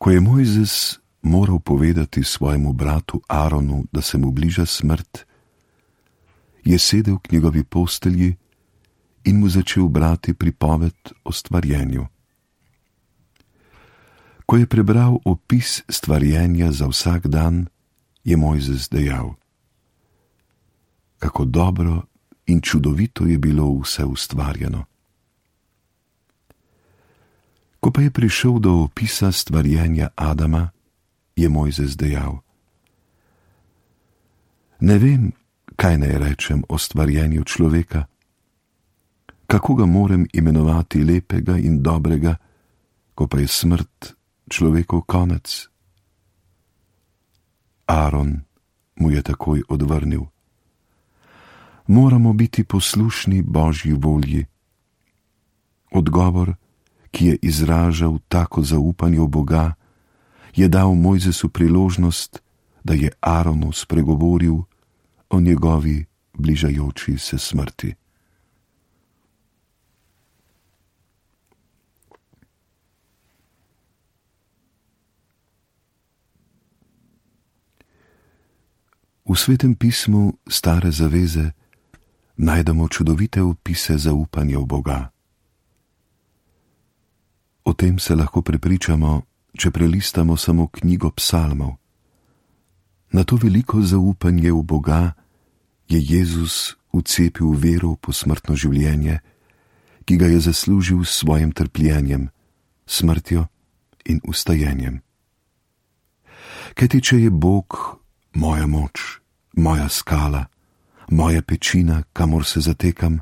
Ko je Mojzes moral povedati svojemu bratu Aronu, da se mu bliža smrt, je sedel k njegovi postelji in mu začel brati pripoved o stvarjenju. Ko je prebral opis stvarjenja za vsak dan, je Mojzes dejal: kako dobro in čudovito je bilo vse ustvarjeno. Ko pa je prišel do opisa stvarjenja Adama, je Mojzes dejal: ne vem, kaj naj rečem o stvarjenju človeka. Kako ga morem imenovati lepega in dobrega, ko pa je smrt človekov konec? Aron mu je takoj odvrnil: moramo biti poslušni Božji volji. Odgovor, ki je izražal tako zaupanje v Boga, je dal Mojzesu priložnost, da je Aronu spregovoril o njegovi bližajoči se smrti. V Svetem pismu Stare zaveze najdemo čudovite opise zaupanja v Boga. O tem se lahko prepričamo, če prelistamo samo knjigo psalmov. Na to veliko zaupanje v Boga je Jezus vcepil vero v posmrtno življenje, ki ga je zaslužil s svojim trpljenjem, smrtjo in vstajenjem. Kajti če je Bog moja moč, moja skala, moja pečina, kamor se zatekam,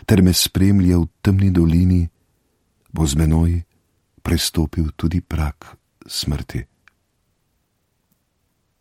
ter me spremlja v temni dolini, bo z menoj prestopil tudi prag smrti.